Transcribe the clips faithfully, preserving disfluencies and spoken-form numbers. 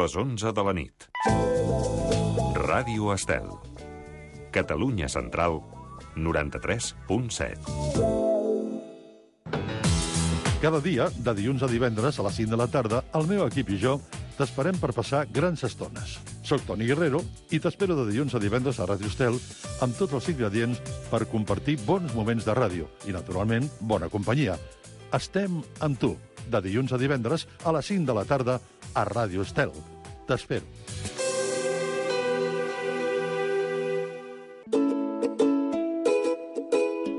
les onze de la nit. Ràdio Estel. Catalunya Central, noranta-tres punt set. Cada dia, de dilluns a divendres a les cinc de la tarda, el meu equip i jo t'esperem per passar grans estones. Soc Toni Guerrero i t'espero de dilluns a divendres a Ràdio Estel amb tots els ingredients per compartir bons moments de ràdio i, naturalment, bona companyia. Estem amb tu, de dilluns a divendres a les cinc de la tarda a Ràdio Estel. T'espero.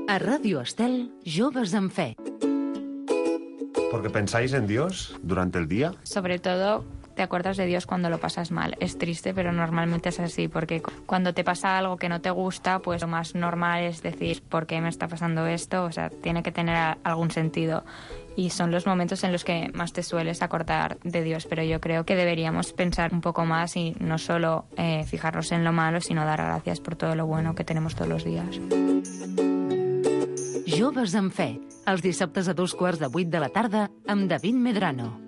A Ràdio Estel, Joves en Fe. ¿Porque pensáis en Dios durante el día? Sobre todo, te acuerdas de Dios cuando lo pasas mal. Es triste, pero normalmente es así, porque cuando te pasa algo que no te gusta, pues lo más normal es decir, ¿por qué me está pasando esto? O sea, tiene que tener algún sentido. Y son los momentos en los que más te sueles acordar de Dios, pero yo creo que deberíamos pensar un poco más y no solo eh, fijarnos en lo malo, sino dar gracias por todo lo bueno que tenemos todos los días. Joves en Fe, els dissabtes a dos quarts de vuit de la tarda amb David Medrano.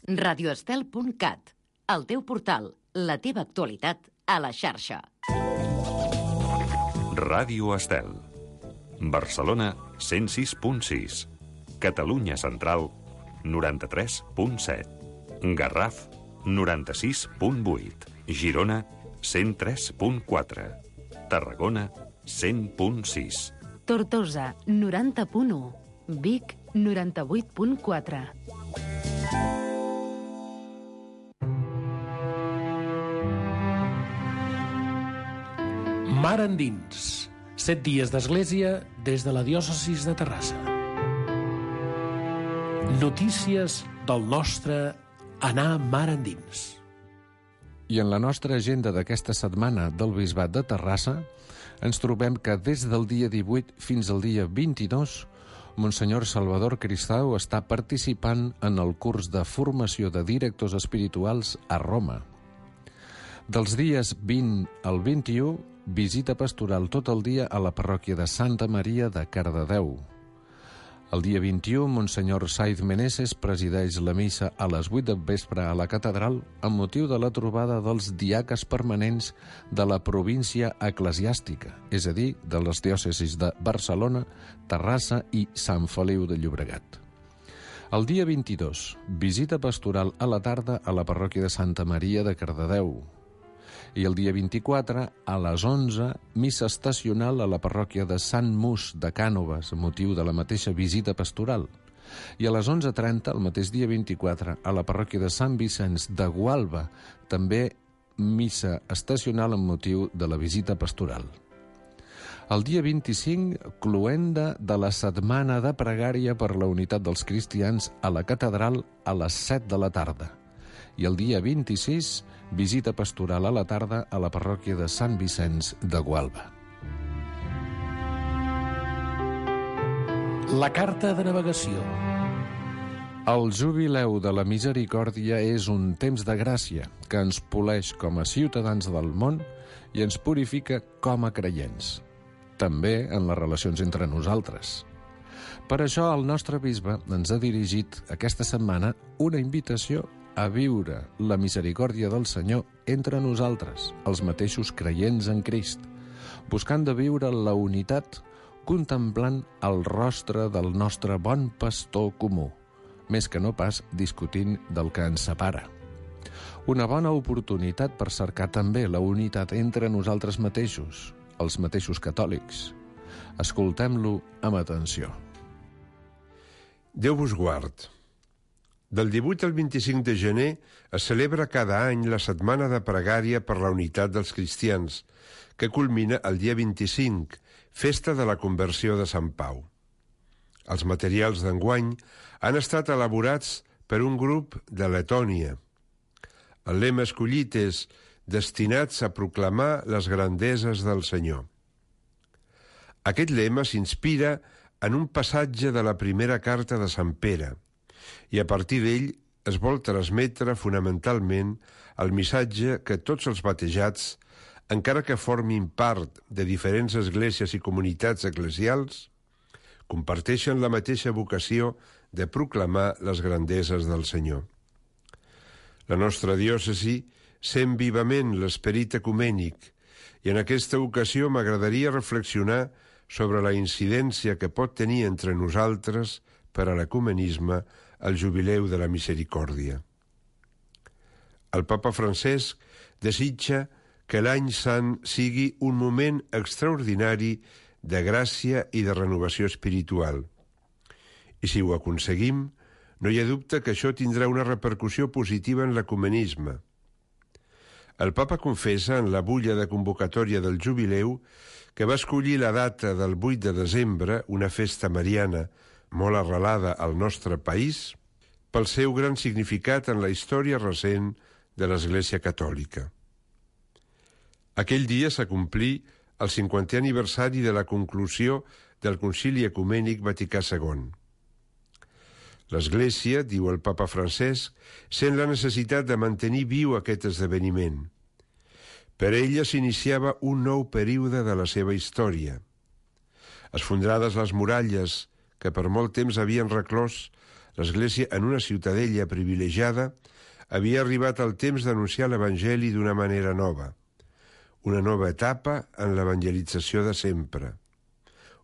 radioestel punt cat, el teu portal, la teva actualitat a la xarxa. Ràdio Estel. Barcelona, cent sis punt sis. Catalunya Central, noranta-tres punt set. Garraf, noranta-sis punt vuit. Girona, cent tres punt quatre. Tarragona, cent punt sis. Tortosa, noranta punt u. Vic, noranta-vuit punt quatre. Mar endins. Set dies d'església des de la diòcesis de Terrassa. Notícies del nostre anar mar endins. I en la nostra agenda d'aquesta setmana del Bisbat de Terrassa ens trobem que des del dia divuit fins al dia vint-i-dos Monsenyor Salvador Cristau està participant en el curs de formació de directors espirituals a Roma. Dels dies vint al vint-i-u, visita pastoral tot el dia a la parròquia de Santa Maria de Cardedeu. El dia vint-i-u, Monsenyor Saiz Meneses presideix la missa a les vuit del vespre a la catedral amb motiu de la trobada dels diaques permanents de la província eclesiàstica, és a dir, de les diòcesis de Barcelona, Terrassa i Sant Feliu de Llobregat. El dia vint-i-dos, visita pastoral a la tarda a la parròquia de Santa Maria de Cardedeu. I el dia vint-i-quatre, a les onze, missa estacional a la parròquia de Sant Mus de Cànoves, amb motiu de la mateixa visita pastoral. I a les onze trenta, el mateix dia vint-i-quatre, a la parròquia de Sant Vicenç de Gualba, també missa estacional amb motiu de la visita pastoral. El dia vint-i-cinc, cloenda de la setmana de pregària per la unitat dels cristians a la catedral a les set de la tarda. I el dia vint-i-sis, visita pastoral a la tarda a la parròquia de Sant Vicenç de Gualba. La carta de navegació. El jubileu de la misericòrdia és un temps de gràcia que ens poleix com a ciutadans del món i ens purifica com a creients, també en les relacions entre nosaltres. Per això el nostre bisbe ens ha dirigit aquesta setmana una invitació a viure la misericòrdia del Senyor entre nosaltres, els mateixos creients en Crist, buscant de viure la unitat contemplant el rostre del nostre bon pastor comú, més que no pas discutint del que ens separa. Una bona oportunitat per cercar també la unitat entre nosaltres mateixos, els mateixos catòlics. Escoltem-lo amb atenció. Déu vos guard. Del divuit al vint-i-cinc de gener es celebra cada any la Setmana de Pregària per la Unitat dels Cristians, que culmina el dia vint-i-cinc, festa de la conversió de Sant Pau. Els materials d'enguany han estat elaborats per un grup de Letònia. El lema escollit és «Destinats a proclamar les grandeses del Senyor». Aquest lema s'inspira en un passatge de la primera carta de Sant Pere, i a partir d'ell es vol transmetre fonamentalment el missatge que tots els batejats, encara que formin part de diferents esglésies i comunitats eclesials, comparteixen la mateixa vocació de proclamar les grandeses del Senyor. La nostra diòcesi sent vivament l'esperit ecumènic i en aquesta ocasió m'agradaria reflexionar sobre la incidència que pot tenir entre nosaltres per a l'ecumenisme el jubileu de la misericòrdia. El papa Francesc desitja que l'any sant sigui un moment extraordinari de gràcia i de renovació espiritual. I si ho aconseguim, no hi ha dubte que això tindrà una repercussió positiva en l'ecumenisme. El papa confessa en la bulla de convocatòria del jubileu que va escollir la data del vuit de desembre, una festa mariana molt arrelada al nostre país, pel seu gran significat en la història recent de l'Església Catòlica. Aquell dia s'acomplí el cinquantè aniversari de la conclusió del Concili Ecumènic Vaticà segon. L'Església, diu el papa Francesc, sent la necessitat de mantenir viu aquest esdeveniment. Per ella s'iniciava un nou període de la seva història. Esfondrades les muralles que per molt temps havien reclòs l'Església en una ciutadella privilegiada, havia arribat el temps d'anunciar l'Evangeli d'una manera nova. Una nova etapa en l'evangelització de sempre.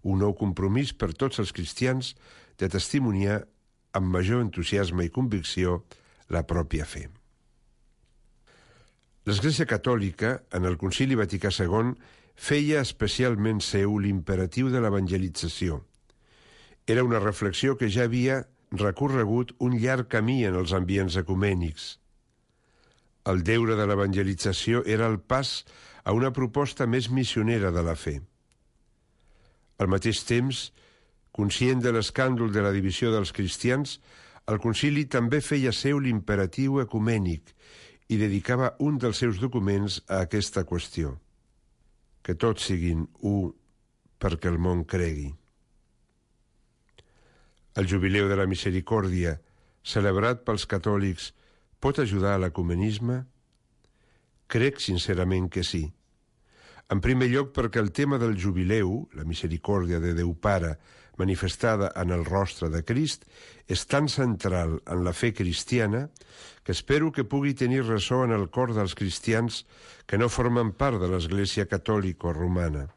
Un nou compromís per tots els cristians de testimoniar amb major entusiasme i convicció la pròpia fe. L'Església Catòlica, en el Concili Vaticà segon, feia especialment seu l'imperatiu de l'evangelització. Era una reflexió que ja havia recorregut un llarg camí en els ambients ecumènics. El deure de l'evangelització era el pas a una proposta més missionera de la fe. Al mateix temps, conscient de l'escàndol de la divisió dels cristians, el concili també feia seu l'imperatiu ecumènic i dedicava un dels seus documents a aquesta qüestió. Que tots siguin u perquè el món cregui. El jubileu de la misericòrdia, celebrat pels catòlics, pot ajudar a l'ecumenisme? Crec sincerament que sí. En primer lloc perquè el tema del jubileu, la misericòrdia de Déu Pare, manifestada en el rostre de Crist, és tan central en la fe cristiana que espero que pugui tenir ressò en el cor dels cristians que no formen part de l'Església Catòlica o Romana.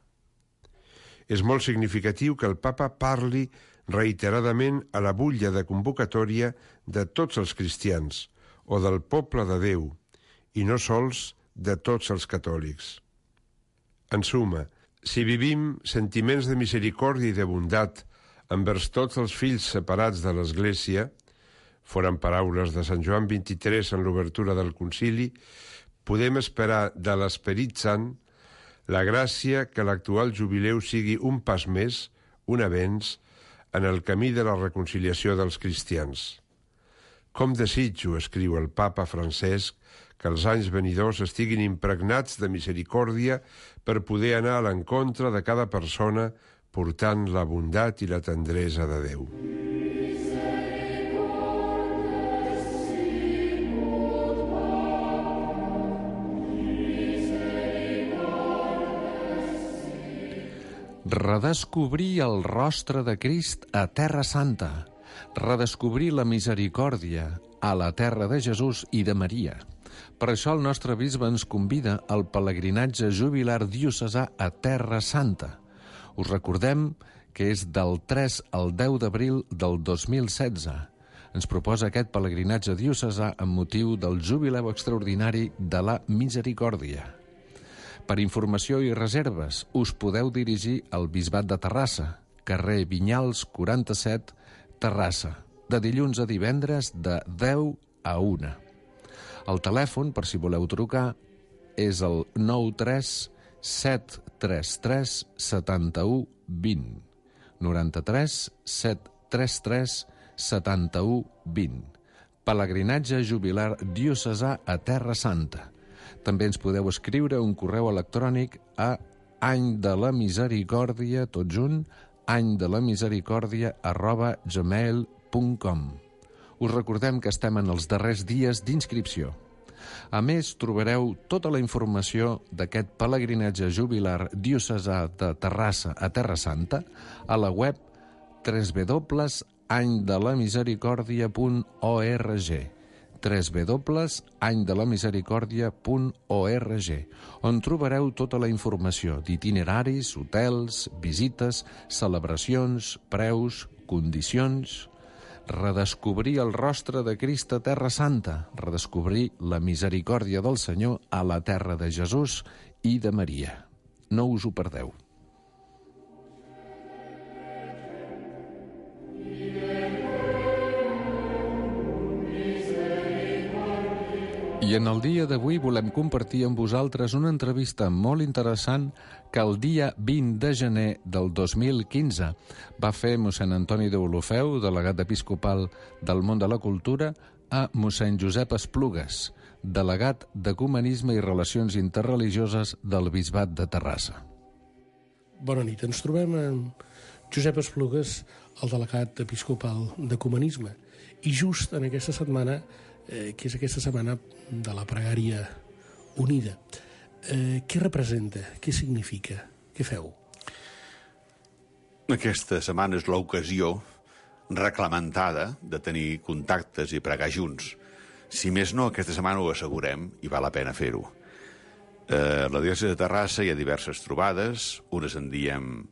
És molt significatiu que el papa parli reiteradament a la butlla de convocatòria de tots els cristians o del poble de Déu i no sols de tots els catòlics. En suma, si vivim sentiments de misericòrdia i de bondat envers tots els fills separats de l'Església, foren paraules de Sant Joan vint-i-tres en l'obertura del concili, podem esperar de l'Esperit Sant la gràcia que l'actual jubileu sigui un pas més, un avenç, en el camí de la reconciliació dels cristians. Com desitjo, escriu el papa Francesc, que els anys venidors estiguin impregnats de misericòrdia per poder anar a l'encontre de cada persona portant la bondat i la tendresa de Déu. Redescobrir el rostre de Crist a Terra Santa. Redescobrir la misericòrdia a la terra de Jesús i de Maria. Per això el nostre bisbe ens convida al pelegrinatge jubilar diocesà a Terra Santa. Us recordem que és del tres al deu d'abril del dos mil setze. Ens proposa aquest pelegrinatge diocesà amb motiu del jubileu extraordinari de la misericòrdia. Per informació i reserves us podeu dirigir al Bisbat de Terrassa, carrer Vinyals quaranta-set, Terrassa, de dilluns a divendres de deu a una. El telèfon, per si voleu trucar, és el nou tres set tres tres set u dos zero. noranta-tres set tres tres set u dos zero. Pelegrinatge jubilar diocesà a Terra Santa. També ens podeu escriure un correu electrònic a any de la misericòrdia, tot junt, any de la misericòrdia arroba gmail punt com. Us recordem que estem en els darrers dies d'inscripció. A més, trobareu tota la informació d'aquest pelegrinatge jubilar diocesà de Terrassa a Terra Santa a la web w w w punt any de la misericòrdia punt org, w w w punt any de la misericòrdia punt org, on trobareu tota la informació d'itineraris, hotels, visites, celebracions, preus, condicions. Redescobrir el rostre de Crist a Terra Santa, redescobrir la misericòrdia del Senyor a la terra de Jesús i de Maria. No us ho perdeu. I en el dia d'avui volem compartir amb vosaltres una entrevista molt interessant que el dia vint de gener del dos mil quinze va fer mossèn Antoni Deulofeu, delegat episcopal del món de la cultura, a mossèn Josep Esplugues, delegat d'Ecumenisme i Relacions Interreligioses del Bisbat de Terrassa. Bona nit. Ens trobem amb Josep Esplugues, el delegat episcopal d'Ecumenisme. I just en aquesta setmana, eh, que és aquesta setmana de la pregària unida, eh, què representa? Què significa? Què feu? Aquesta setmana és l'ocasió reclamentada de tenir contactes i pregar junts. Si més no, aquesta setmana ho assegurem i val la pena fer-ho. Eh, a la diòcesi de Terrassa hi ha diverses trobades, unes en diem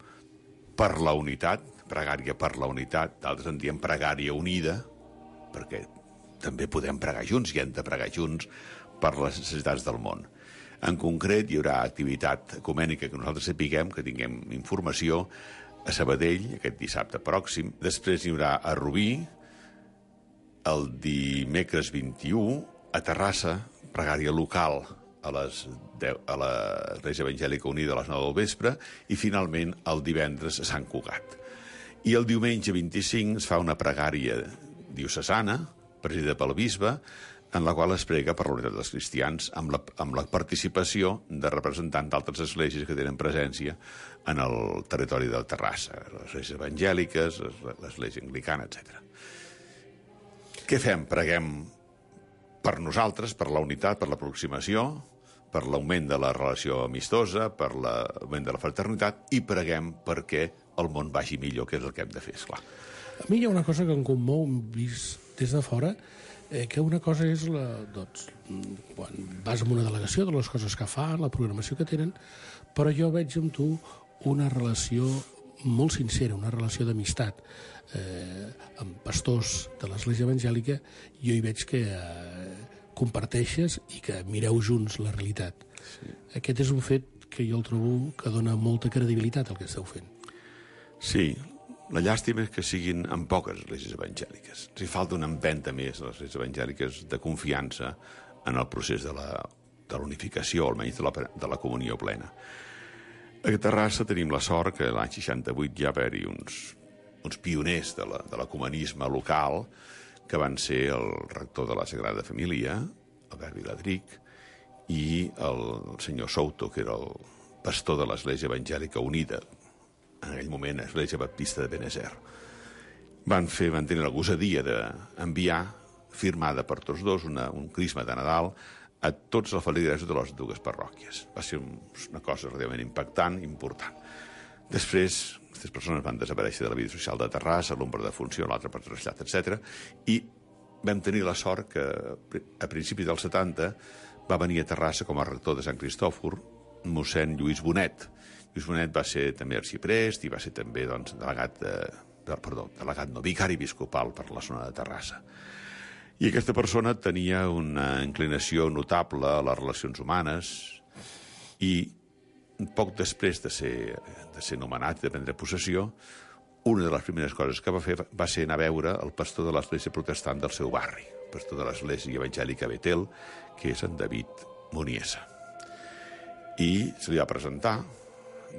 per la unitat, pregària per la unitat, d'altres en diem pregària unida, perquè també podem pregar junts i hem de pregar junts per les necessitats del món. En concret, hi haurà activitat ecumènica que nosaltres sapiguem, que tinguem informació, a Sabadell, aquest dissabte pròxim. Després hi haurà a Rubí, el dimecres vint-i-u, a Terrassa, pregària local a les deu, a l'Església Evangèlica Unida a les nou del vespre, i finalment el divendres a Sant Cugat. I el diumenge vint-i-cinc es fa una pregària diocesana, presidida pel bisbe, en la qual es prega per la unitat dels cristians amb la, amb la participació de representants d'altres esglésies que tenen presència en el territori del Terrassa, les esglésies evangèliques, l'església anglicana, etcètera. Què fem? Preguem per nosaltres, per la unitat, per l'aproximació, per l'augment de la relació amistosa, per l'augment de la fraternitat, i preguem perquè el món vagi millor, que és el que hem de fer, esclar. A mi hi ha una cosa que em commou, vist des de fora, eh, que una cosa és la, doncs, quan vas amb una delegació de les coses que fan, la programació que tenen, però jo veig amb tu una relació molt sincera, una relació d'amistat. Eh, amb pastors de l'Església Evangèlica jo hi veig que eh, comparteixes i que mireu junts la realitat. Sí. Aquest és un fet que jo el trobo que dona molta credibilitat al que esteu fent. Sí, la llàstima és que siguin en poques esglésies evangèliques. Ens hi falta una empenta més a les esglésies evangèliques de confiança en el procés de la, de l'unificació, almenys de la, de la comunió plena. A Terrassa tenim la sort que l'any seixanta-vuit ja va haver-hi uns, uns pioners de l'ecumenisme local, que van ser el rector de la Sagrada Família, Albert Viladric, i el senyor Souto, que era el pastor de l'Església Evangèlica Unida, en aquell moment Església Baptista de Benezer. Van fer, van tenir la gosadia d'enviar, firmada per tots dos, una, un crisma de Nadal a tots els feligresos de les dues parròquies. Va ser una cosa realment impactant, important. Després, aquestes persones van desaparèixer de la vida social de Terrassa, l'un per defunció, l'altre per trasllat, etcètera, i vam tenir la sort que a principis dels setanta va venir a Terrassa com a rector de Sant Cristòfor mossèn Lluís Bonet. Lluís Bonet va ser també arxiprest i va ser també, doncs, delegat, de, de, perdó, delegat no, vicari episcopal per la zona de Terrassa. I aquesta persona tenia una inclinació notable a les relacions humanes i poc després de ser, de ser nomenat i de prendre possessió, una de les primeres coses que va fer va ser anar a veure el pastor de l'església protestant del seu barri, el pastor de l'església evangèlica Betel, que és en David Muniesa. I se li va presentar,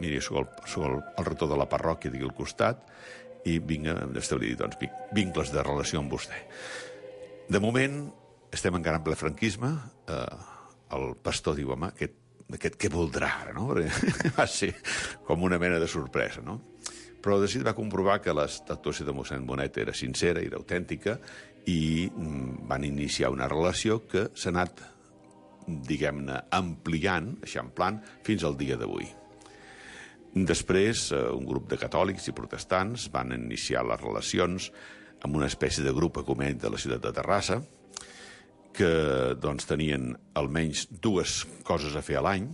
miri, soc el, soc el, el rector de la parròquia d'aquí al costat i vinc a establir, doncs, vincles de relació amb vostè. De moment, estem encara en ple franquisme, eh, el pastor diu, home, aquest, aquest què voldrà ara, no? Va ser com una mena de sorpresa, no? Però de seguida va comprovar que l'actuació de mossèn Bonet era sincera, era autèntica, i van iniciar una relació que s'ha anat, diguem-ne, ampliant, eixamplant, fins al dia d'avui. Després, un grup de catòlics i protestants van iniciar les relacions amb una espècie de grup ecumènic de la ciutat de Terrassa, que doncs, tenien almenys dues coses a fer a l'any.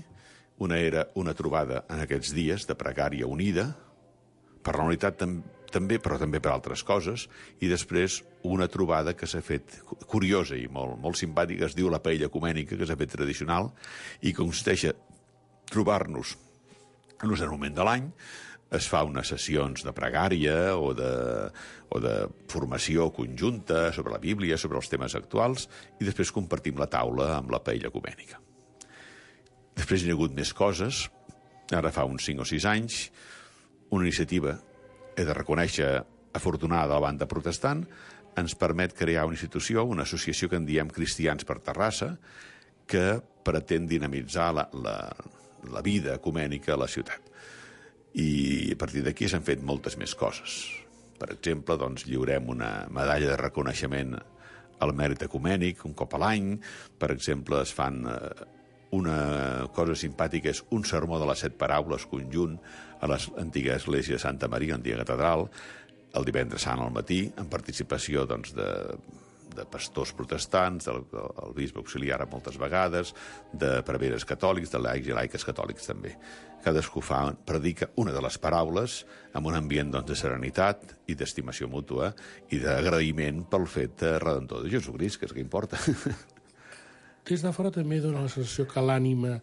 Una era una trobada en aquests dies de pregària unida, per la unitat tam també, però també per altres coses, i després una trobada que s'ha fet curiosa i molt, molt simpàtica, es diu la paella ecumènica, que s'ha fet tradicional, i consisteix a trobar-nos en un cert moment de l'any, es fa unes sessions de pregària o de, o de formació conjunta sobre la Bíblia, sobre els temes actuals, i després compartim la taula amb la paella ecumènica. Després hi ha hagut més coses, ara fa uns cinc o sis anys, una iniciativa, he de reconèixer, afortunada de la banda protestant, ens permet crear una institució, una associació que en diem Cristians per Terrassa, que pretén dinamitzar la, la, la vida ecumènica a la ciutat. I a partir d'aquí s'han fet moltes més coses. Per exemple, doncs, lliurem una medalla de reconeixement al mèrit ecumènic un cop a l'any. Per exemple, es fan eh, una cosa simpàtica, és un sermó de les set paraules conjunt a l'antiga església de Santa Maria, l'antiga catedral, el divendres sant al matí, en participació doncs, de, de pastors protestants, del, del bisbe auxiliar moltes vegades, de preveres catòlics, de laics i laiques catòlics també. Cadascú fa, predica una de les paraules amb un ambient doncs, de serenitat i d'estimació mútua i d'agraïment pel fet redentor de Jesucrist, que és el que importa. Des de fora també dona la sensació que l'ànima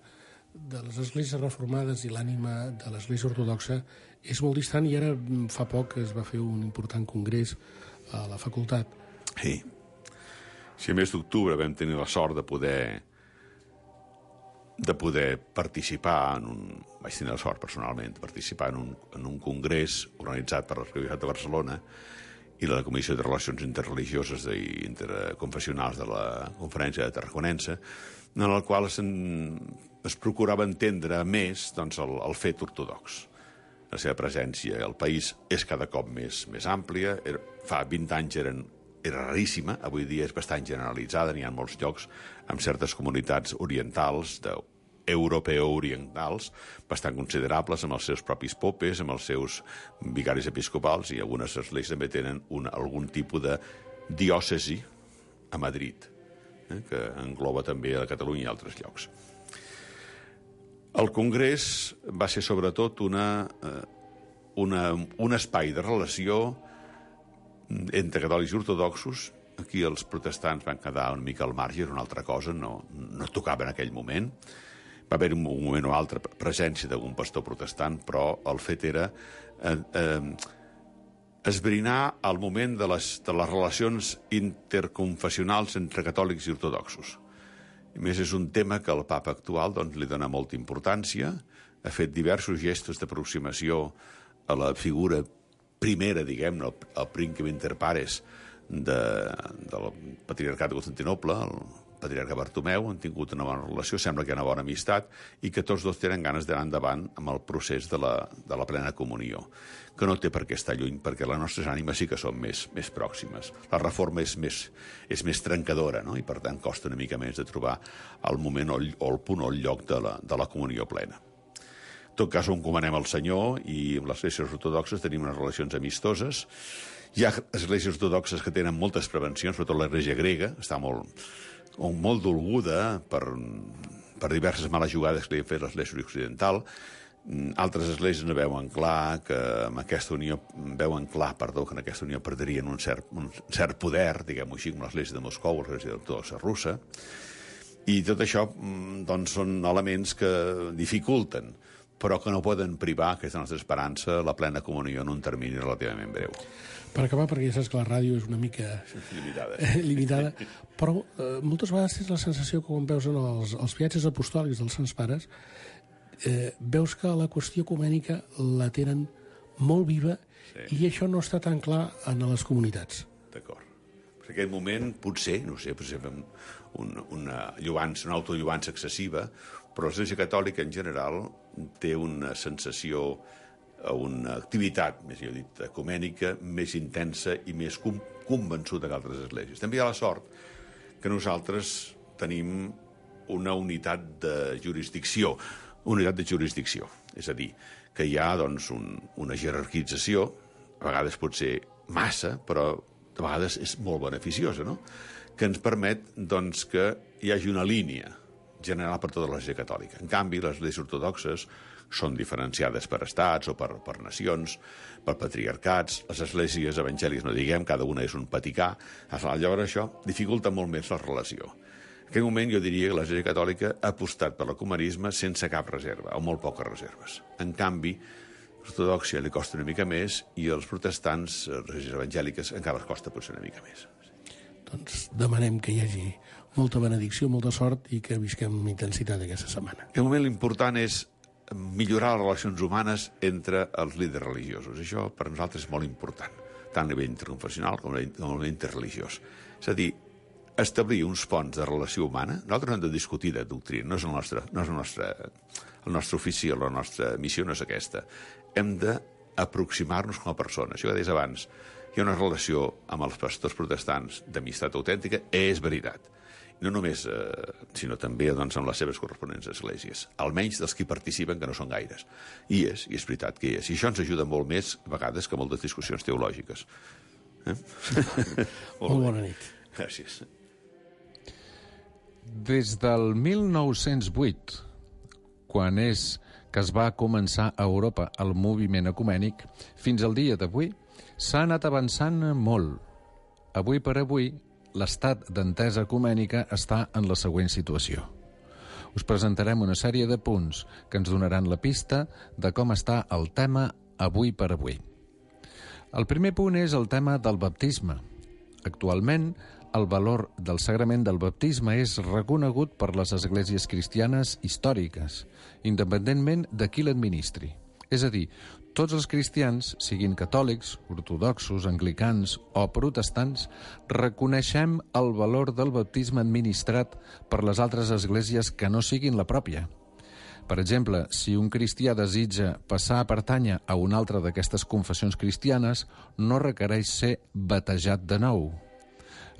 de les esglésies reformades i l'ànima de l'església ortodoxa és molt distant, i ara fa poc es va fer un important congrés a la facultat. Sí. Si a mes d'octubre vam tenir la sort de poder de poder participar en un... vaig tenir la sort personalment de participar en un, en un congrés organitzat per l'Arquebisbat de Barcelona i la Comissió de Relacions Interreligioses i Interconfessionals de la Conferència de Tarraconense, en el qual es, es procurava entendre més doncs, el, el fet ortodox. La seva presència al país és cada cop més, més àmplia. Era, fa vint anys eren, era raríssima, avui dia és bastant generalitzada, n'hi ha molts llocs amb certes comunitats orientals de europeo-orientals, bastant considerables, amb els seus propis popes, amb els seus vicaris episcopals, i algunes esglésies també tenen una, algun tipus de diòcesi a Madrid, eh, que engloba també a Catalunya i altres llocs. El congrés va ser sobretot una, una, un espai de relació entre catòlics i ortodoxos. Aquí els protestants van quedar una mica al marge, era una altra cosa, no, no tocava en aquell moment. Va haver un moment o altre presència d'algun pastor protestant, però el fet era eh, eh, esbrinar el moment de les, de les relacions interconfessionals entre catòlics i ortodoxos. A més, és un tema que el papa actual doncs, li dona molta importància, ha fet diversos gestos d'aproximació a la figura primera, diguem-ne, el, el príncipe inter pares de, del patriarcat de Constantinoble, el patriarca Bartomeu, han tingut una bona relació, sembla que hi ha una bona amistat, i que tots dos tenen ganes d'anar endavant amb el procés de la, de la plena comunió, que no té per què estar lluny, perquè les nostres ànimes sí que són més, més pròximes. La reforma és més, és més trencadora, no? I per tant costa una mica més de trobar el moment o el, o el punt o el lloc de la, de la comunió plena. En tot cas, ho encomanem al Senyor, i amb les esglésies ortodoxes tenim unes relacions amistoses. Hi ha esglésies ortodoxes que tenen moltes prevencions, sobretot l'església grega, està molt... o molt dolguda per, per diverses males jugades que li ha fet l'església occidental. Altres esglésies no veuen clar que amb aquesta unió, veuen clar, perdó, que en aquesta unió perdrien un cert, un cert poder, diguem-ho així, com l'església de Moscou, l'església ortodoxa russa. I tot això doncs, són elements que dificulten, però que no poden privar aquesta nostra esperança la plena comunió en un termini relativament breu. Per acabar, perquè ja saps que la ràdio és una mica limitada, limitada però eh, moltes vegades tens la sensació que quan veus en els, els viatges apostòlics dels Sants Pares eh, veus que la qüestió ecumènica la tenen molt viva, sí. I això no està tan clar en les comunitats. D'acord. En aquest moment, potser, no sé, potser fem un, una lluança, una autolluança excessiva, però l'Església Catòlica en general té una sensació, una activitat, més jo dit, ecumènica, més intensa i més com, convençuda que altres esglésies. També hi ha la sort que nosaltres tenim una unitat de jurisdicció, una unitat de jurisdicció, és a dir, que hi ha doncs, un, una jerarquització, a vegades pot ser massa, però de vegades és molt beneficiosa, no? Que ens permet doncs, que hi hagi una línia general per tota l'Església catòlica. En canvi, les esglésies ortodoxes són diferenciades per estats o per, per nacions, per patriarcats. Les esglésies evangèliques, no diguem, cada una és un paticà. Llavors això dificulta molt més la relació. En aquell moment jo diria que l'Església catòlica ha apostat per l'ecumenisme sense cap reserva, o molt poques reserves. En canvi, l'ortodoxia li costa una mica més i els protestants, les esglésies evangèliques, encara els costa potser una mica més. Doncs demanem que hi hagi molta benedicció, molta sort i que visquem amb intensitat aquesta setmana. El moment important és millorar les relacions humanes entre els líders religiosos. Això per nosaltres és molt important, tant a nivell interconfessional com a nivell interreligiós. És a dir, establir uns ponts de relació humana. Nosaltres no hem de discutir de doctrina, no és el nostre, no és el nostre, el nostre ofici, la nostra missió no és aquesta. Hem d'aproximar-nos com a persones. Això que deies abans, hi ha una relació amb els pastors protestants d'amistat autèntica, és veritat. No només, eh, sinó també doncs, amb les seves corresponents esglésies, almenys dels que hi participen, que no són gaires. I és, i és veritat que hi és. I això ens ajuda molt més, a vegades, que moltes discussions teològiques. Eh? Molt bona nit. Gràcies. Des del mil nou-cents vuit, quan és que es va començar a Europa el moviment ecumènic, fins al dia d'avui, s'ha anat avançant molt. Avui per avui, l'estat d'entesa ecumènica està en la següent situació. Us presentarem una sèrie de punts que ens donaran la pista de com està el tema avui per avui. El primer punt és el tema del baptisme. Actualment, el valor del sagrament del baptisme és reconegut per les esglésies cristianes històriques, independentment de qui l'administri. És a dir, tots els cristians, siguin catòlics, ortodoxos, anglicans o protestants, reconeixem el valor del baptisme administrat per les altres esglésies que no siguin la pròpia. Per exemple, si un cristià desitja passar a pertànyer a una altra d'aquestes confessions cristianes, no requereix ser batejat de nou.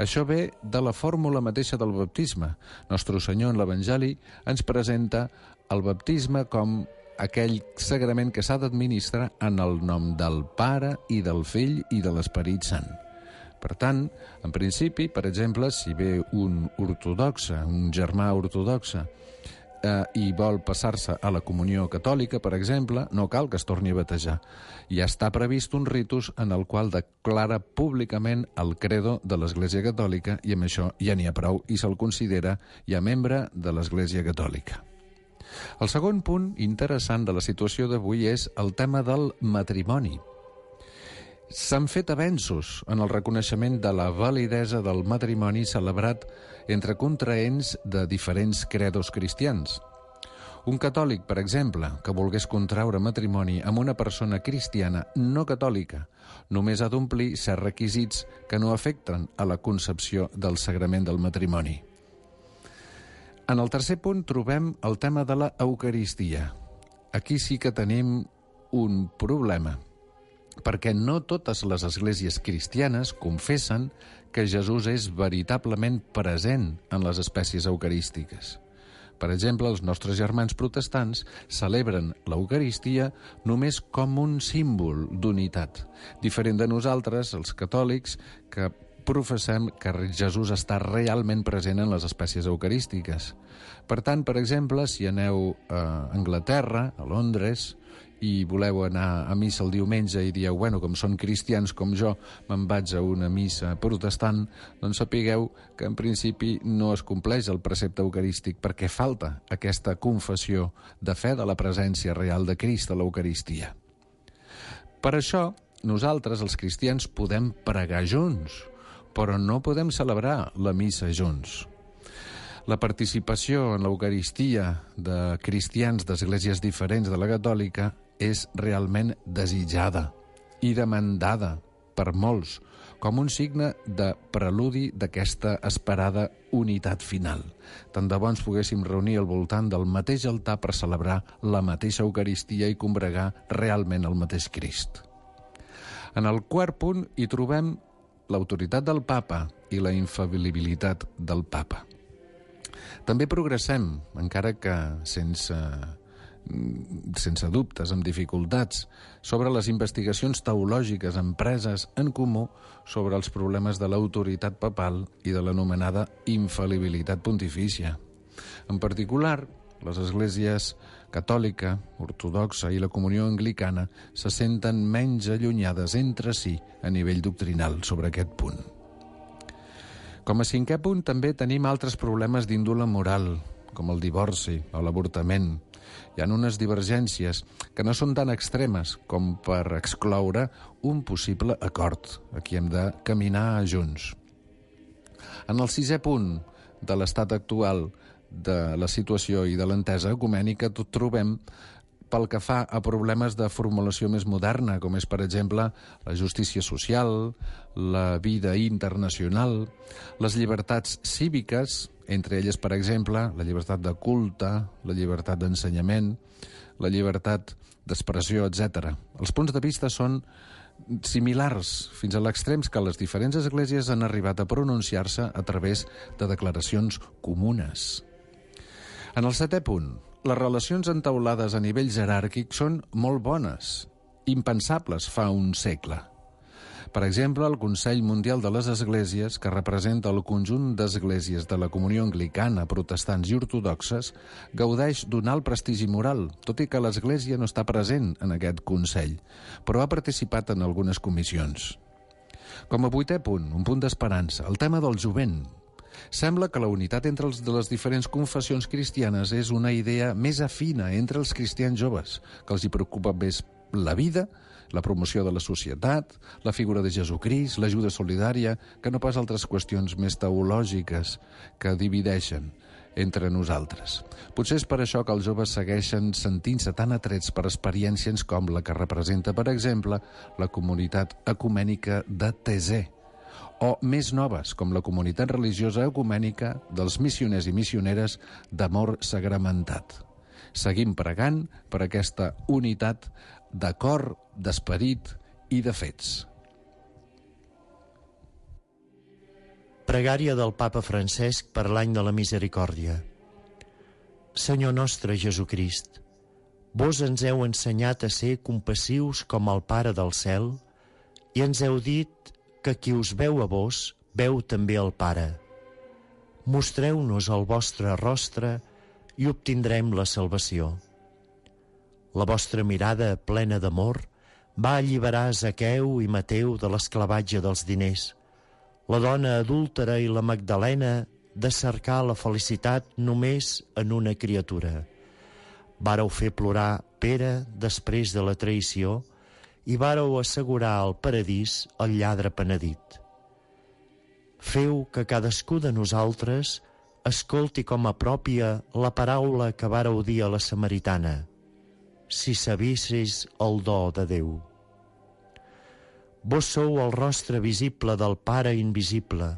Això ve de la fórmula mateixa del baptisme. Nostre Senyor en l'Evangeli ens presenta el baptisme com aquell sagrament que s'ha d'administrar en el nom del Pare i del Fill i de l'Esperit Sant. Per tant, en principi, per exemple, si ve un ortodoxe, un germà ortodoxe, eh, i vol passar-se a la comunió catòlica, per exemple, no cal que es torni a batejar. Ja està previst un ritus en el qual declara públicament el credo de l'Església Catòlica i amb això ja n'hi ha prou i se'l considera ja membre de l'Església Catòlica. El segon punt interessant de la situació d'avui és el tema del matrimoni. S'han fet avenços en el reconeixement de la validesa del matrimoni celebrat entre contraents de diferents credos cristians. Un catòlic, per exemple, que volgués contraure matrimoni amb una persona cristiana no catòlica, només ha d'omplir certs requisits que no afecten a la concepció del sagrament del matrimoni. En el tercer punt trobem el tema de la Eucaristia. Aquí sí que tenim un problema, perquè no totes les esglésies cristianes confessen que Jesús és veritablement present en les espècies eucarístiques. Per exemple, els nostres germans protestants celebren l'Eucaristia només com un símbol d'unitat, diferent de nosaltres, els catòlics, que professem que Jesús està realment present en les espècies eucarístiques. Per tant, per exemple, si aneu a Anglaterra, a Londres, i voleu anar a missa el diumenge i dieu, bueno, com són cristians com jo, me'n vaig a una missa protestant, doncs sapigueu que en principi no es compleix el precepte eucarístic perquè falta aquesta confessió de fe de la presència real de Crist a l'Eucaristia. Per això, nosaltres, els cristians, podem pregar junts, però no podem celebrar la missa junts. La participació en l'Eucaristia de cristians d'esglésies diferents de la catòlica és realment desitjada i demandada per molts, com un signe de preludi d'aquesta esperada unitat final. Tant de bo ens poguéssim reunir al voltant del mateix altar per celebrar la mateixa Eucaristia i combregar realment el mateix Crist. En el quart punt hi trobem l'autoritat del papa i la infal·libilitat del papa. També progressem, encara que sense sense dubtes, amb dificultats, sobre les investigacions teològiques empreses en comú sobre els problemes de l'autoritat papal i de l'anomenada infal·libilitat pontifícia. En particular, les esglésies catòlica, ortodoxa i la comunió anglicana se senten menys allunyades entre si a nivell doctrinal sobre aquest punt. Com a cinquè punt, també tenim altres problemes d'índole moral, com el divorci o l'avortament. Hi ha unes divergències que no són tan extremes com per excloure un possible acord. Aquí hem de caminar junts. En el sisè punt de l'estat actual de la situació i de l'entesa ecumènica trobem pel que fa a problemes de formulació més moderna, com és, per exemple, la justícia social, la vida internacional, les llibertats cíviques, entre elles, per exemple, la llibertat de culte, la llibertat d'ensenyament, la llibertat d'expressió, etcètera. Els punts de vista són similars, fins a l'extrems que les diferents esglésies han arribat a pronunciar-se a través de declaracions comunes. En el setè punt, les relacions entaulades a nivell jeràrquic són molt bones, impensables fa un segle. Per exemple, el Consell Mundial de les Esglésies, que representa el conjunt d'esglésies de la comunió anglicana, protestants i ortodoxes, gaudeix d'un alt prestigi moral, tot i que l'Església no està present en aquest Consell, però ha participat en algunes comissions. Com a vuitè punt, un punt d'esperança, el tema del jovent. Sembla que la unitat entre els de les diferents confessions cristianes és una idea més afina entre els cristians joves, que els hi preocupa més la vida, la promoció de la societat, la figura de Jesucrist, l'ajuda solidària, que no pas altres qüestions més teològiques que divideixen entre nosaltres. Potser és per això que els joves segueixen sentint-se tan atrets per experiències com la que representa, per exemple, la comunitat ecumènica de Thésée, o més noves, com la comunitat religiosa ecumènica dels missioners i missioneres d'amor sagramentat. Seguim pregant per aquesta unitat de cor, d'esperit i de fets. Pregària del Papa Francesc per l'any de la misericòrdia. Senyor nostre Jesucrist, vos ens heu ensenyat a ser compassius com el Pare del cel i ens heu dit que qui us veu a vos, veu també el Pare. Mostreu-nos el vostre rostre i obtindrem la salvació. La vostra mirada plena d'amor va alliberar Zaqueu i Mateu de l'esclavatge dels diners, la dona adúltera i la Magdalena de cercar la felicitat només en una criatura. Vàreu fer plorar Pere després de la traïció i vàreu assegurar al paradís el lladre penedit. Feu que cadascú de nosaltres escolti com a pròpia la paraula que vàreu dir a la samaritana: si sabissis el do de Déu. Vos sou el rostre visible del Pare invisible,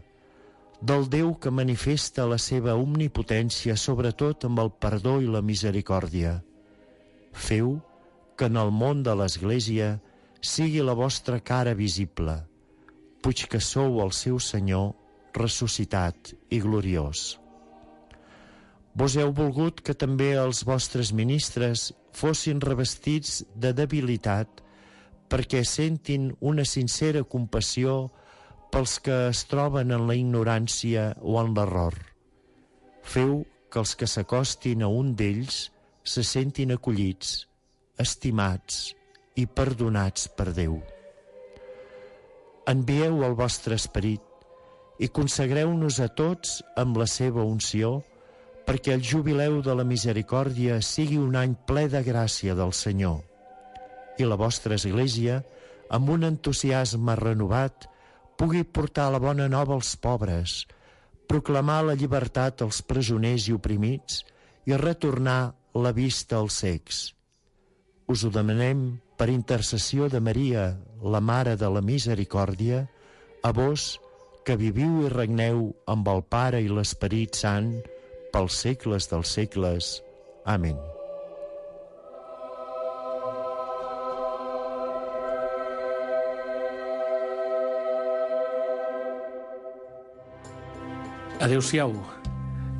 del Déu que manifesta la seva omnipotència, sobretot amb el perdó i la misericòrdia. Feu que en el món de l'Església sigui la vostra cara visible, puix que sou el seu Senyor ressuscitat i gloriós. Vos heu volgut que també els vostres ministres fossin revestits de debilitat perquè sentin una sincera compassió pels que es troben en la ignorància o en l'error. Feu que els que s'acostin a un d'ells se sentin acollits, estimats i perdonats per Déu. Envieu el vostre esperit i consagreu-nos a tots amb la seva unció perquè el jubileu de la misericòrdia sigui un any ple de gràcia del Senyor i la vostra Església, amb un entusiasme renovat, pugui portar la bona nova als pobres, proclamar la llibertat als presoners i oprimits i retornar la vista als cecs. Us ho demanem per intercessió de Maria, la Mare de la Misericòrdia, a vos que viviu i regneu amb el Pare i l'Esperit Sant pels segles dels segles. Amén. Adéu-siau,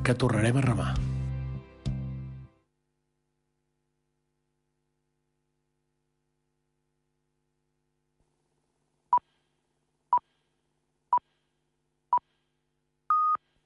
que tornarem a remar.